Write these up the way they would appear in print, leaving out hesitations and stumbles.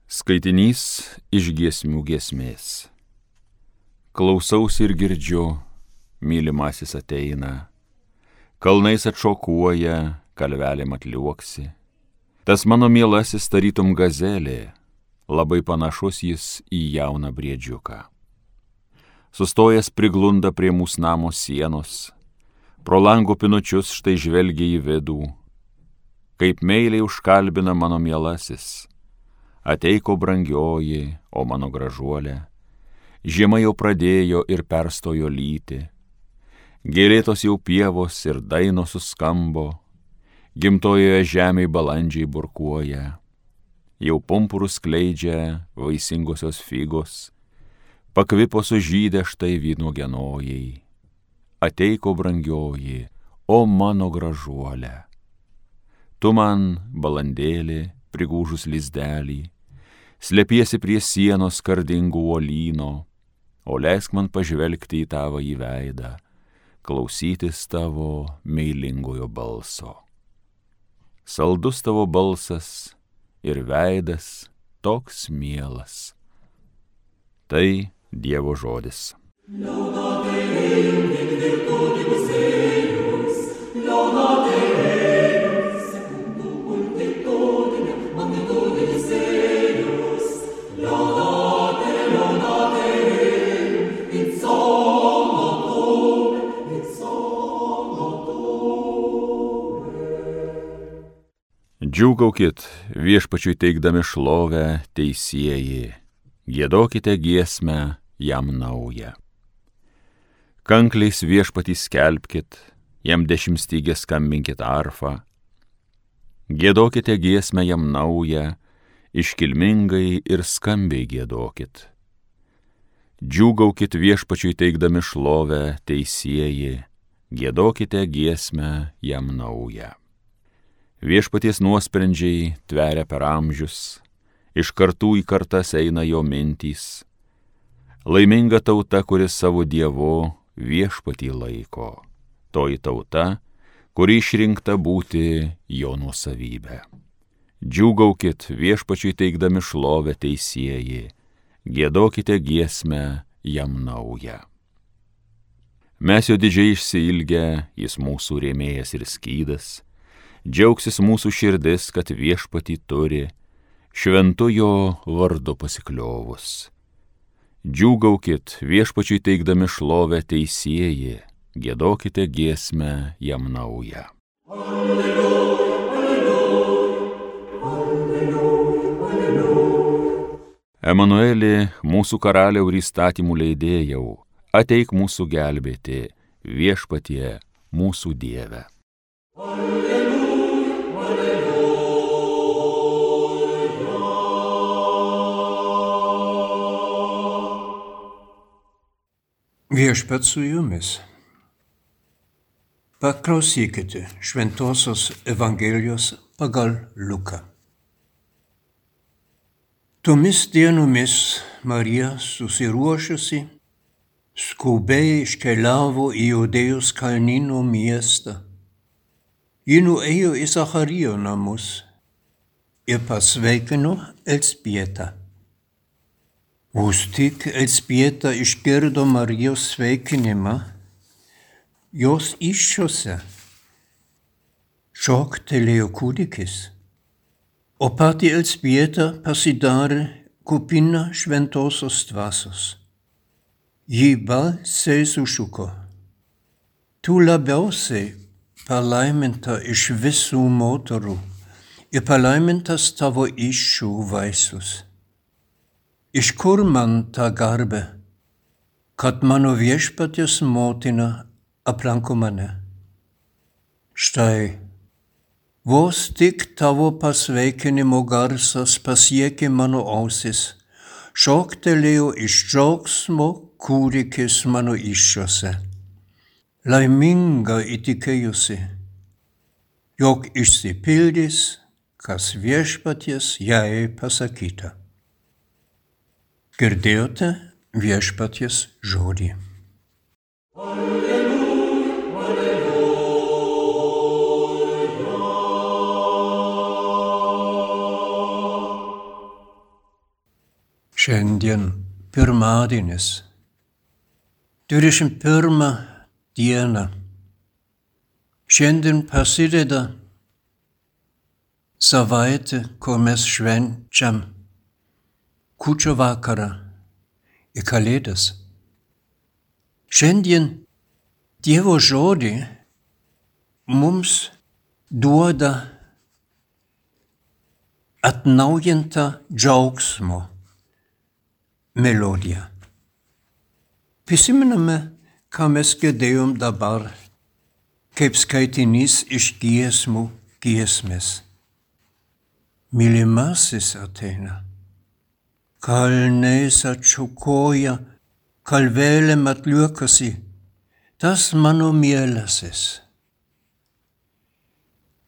Skaitinys iš giesmių giesmės. Klausausi ir girdžiu, mylimasis ateina, kalnais atšokuoja, kalvelėm atliuoksi. Tas mano mielasis tarytum gazelė, labai panašus jis į jauną briedžiuką. Sustojęs priglunda prie mūsų namo sienos, pro lango pinučius štai žvelgia į vidų, kaip meiliai užkalbina mano mielasis. Ateiko brangioji, o mano gražuolė, žiema jau pradėjo ir perstojo lyti, gėlėtos jau pievos ir dainos suskambo, gimtojoje žemėje balandžiai burkuoja, jau pumpurus skleidžia vaisingosios figos, pakvipo sužydę štai vynuogienojai. Ateiko brangioji, o mano gražuolė, tu man, balandėlė, prigūžus lizdelį, slepiesi prie sienos skardingų uolyno, o leisk man pažvelgti į tavo į veidą, klausytis tavo meilingojo balso. Saldus tavo balsas ir veidas toks mielas. Tai Dievo žodis. Džiūgaukit viešpačiui teikdami šlovę teisieji, giedokite giesmę jam naują. Kankliais viešpatį skelbkit, jam dešimtstygę skambinkit arfą, giedokite giesmę jam naują, iškilmingai ir skambiai giedokit. Džiūgaukit viešpačiui teikdami šlovę teisieji, giedokite giesmę jam naują. Viešpaties nuosprendžiai tveria per amžius, iš kartų į kartas eina jo mintys. Laiminga tauta, kuris savo Dievu viešpatį laiko, toji tauta, kuri išrinkta būti jo nuosavybė. Džiūgaukit viešpačiui teikdami šlovę teisieji, giedokite giesmę jam naują. Mes jo didžiai išsiilgę, jis mūsų rėmėjas ir skydas, džiaugsis mūsų širdis, kad viešpatį turi, šventu jo vardu pasikliovus. Džiūgaukit viešpačiui teikdami šlovę teisieji, giedokite giesmę jam naują. Alleluja, alleluja, alleluja. Emanueli, mūsų karaliau ir įstatymų leidėjau, ateik mūsų gelbėti, viešpatie mūsų Dieve. Viešpat su jumis. Paklausykite Šventosios Evangelijos pagal Luką. Tomis dienomis Marija susiruošusi, skubiai iškeliavo į Judėjos kalnyno miestą. Ji nuėjo į Zacharijo namus ir pasveikino Elzbietą. Vos tik Elzbieta išgirdo Marijos sveikinimą, jos įsčiose šoktelėjo kūdikis, o pati Elzbieta pasidarė kupina šventosios dvasios. Ji balsiai sušuko: Tu labiausiai palaiminta iš visų moterų ir palaimintas tavo įsčių vaisius. Iš kur man ta garbė, kad mano viešpaties motina aplanko mane? Štai, vos tik tavo pasveikinimo garsas pasiekė mano ausis, šoktelėjo iš džiaugsmo kūdikis mano įsčiose. Laiminga įtikėjusi, jog išsipildys, kas viešpaties jai pasakyta. Girdėjote viešpaties žodį. Alleluja, alleluja. Šiandien pirmadienis, 21 diena. Šiandien prasideda savaitė, kur mes švenčiam kūčių vakarą ir Kalėdas. Šiandien Dievo žodį mums duoda atnaujintą džiaugsmo melodiją. Prisimename, ką mes girdėjom dabar, kaip skaitinys iš giesmų giesmės. Mylimasis ateina, kalnais atšukoja, kalvelėm atliekasi, tas mano mielasis.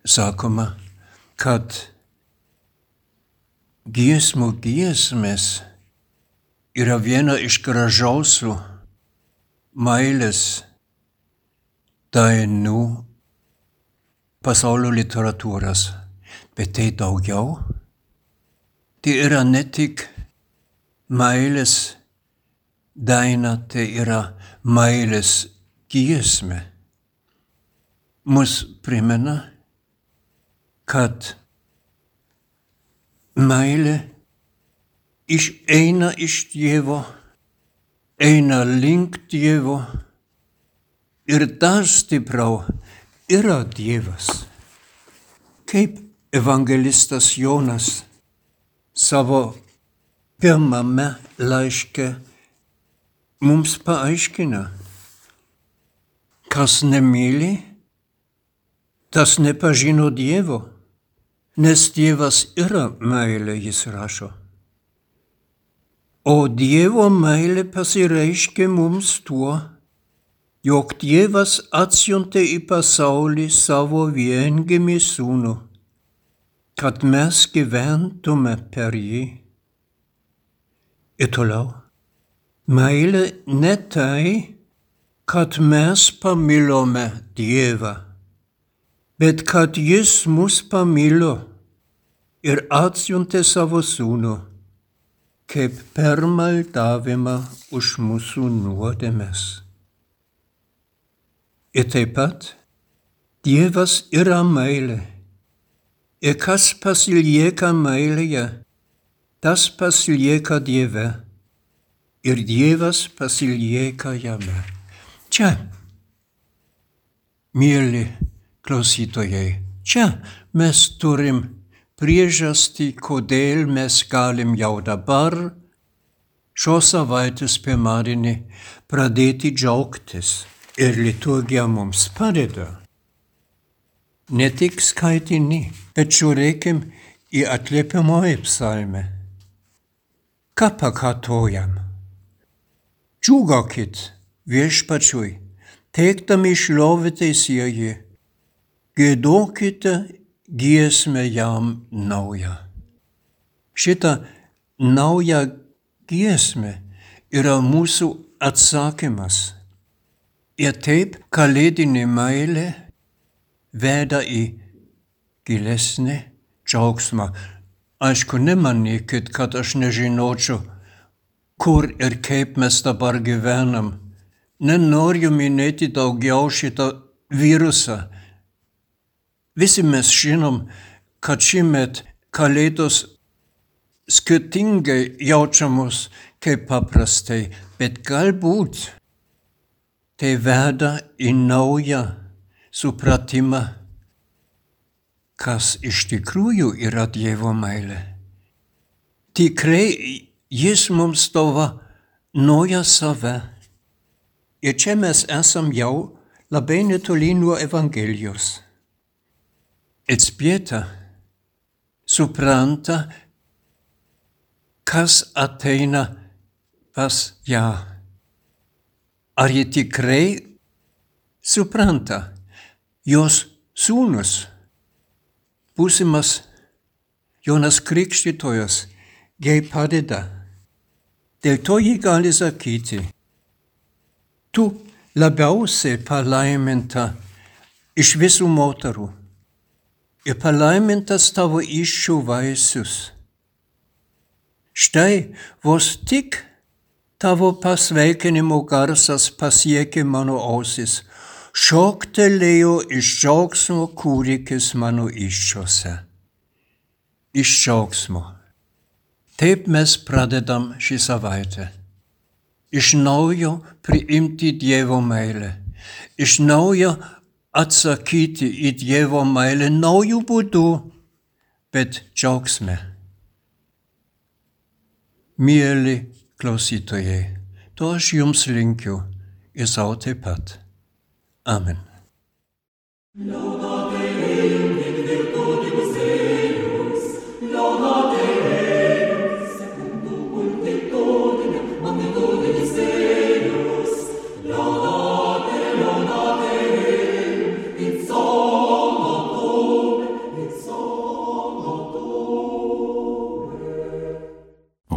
Sakoma, kad giesmų giesmės yra viena iš gražiausių meilės dainų pasaulio literatūros, bet tai daugiau. Tai yra ne tik meilės daina, tai yra meilės giesmė. Mus primena, kad meilė eina iš Dievo, eina link Dievo ir dar stipriau yra Dievas. Kaip evangelistas Jonas savo pirmame laiške mums paaiškina, kas nemyli, tas nepažino Dievo, nes Dievas yra meilė, jis rašo. O Dievo meilė pasireiškė mums tuo, jog Dievas atsiuntė į pasaulį savo viengimį sūnų, kad mes gyventume per jį. Ir toliau, meilė ne tai, kad mes pamilome Dievą, bet kad jis mus pamilo ir atsiuntė savo sūnų, kaip permaldavimą už mūsų nuodėmes. Ir taip pat Dievas yra meilė. Ir kas pasilieka meilėje, tas pasilieka Dieve. Ir Dievas pasilieka jame. Čia, mieli klausytojai, čia mes turim priežastį, kodėl mes galim jau dabar, šios savaitės pirmadienį, pradėti džiaugtis. Ir liturgija mums padeda. Ne tik skaitinį, bet žiūrėkim į atliepiamoji psalmę. Ką pakartojam? Džiūgaukit viešpačiui, teikdami šlovę teisėjui, giedokite giesmę jam naują. Šita nauja giesmė yra mūsų atsakymas. Ir taip kalėdinė meilė veda į gilesnį džiaugsmą. Aišku, nemanykit, kad aš nežinočiau, kur ir kaip mes dabar gyvenam. Nenoriu minėti daugiau šitą virusą. Visi mes žinom, kad šįmet kalėdos skirtingai jaučiamos kaip paprastai, bet galbūt tai veda į naują supratimą, kas iš tikrųjų yra Dievo meilė. Tikrai jis mums dovanoja save. Ir čia mes esam jau labai netoli nuo Evangelijos. Elzbieta supranta, kas ateina pas ją. Ar ji tikrai supranta, jos sūnus, būsimas Jonas Krikštytojas, jai padeda. Dėl to ji gali sakyti, tu labiausiai palaiminta iš visų moterų. Ir palaimintas tavo įsčių vaisius. Štai vos tik tavo pasveikinimo garsas pasiekė mano ausis, šoktelėjo iš džiaugsmo kūdikis mano įsčiose. Iš džiaugsmo. Taip mes pradedam šį savaitę. Iš naujo priimti Dievo meilę. Iš naujo atsakyti į Dievo meilę naujų būdų, bet džiaugsme. Mieli klausytojai, to aš jums linkiu ir sau taip pat. Amen.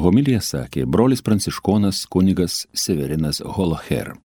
Homiliją sakė brolis pranciškonas kunigas Severinas Holoher.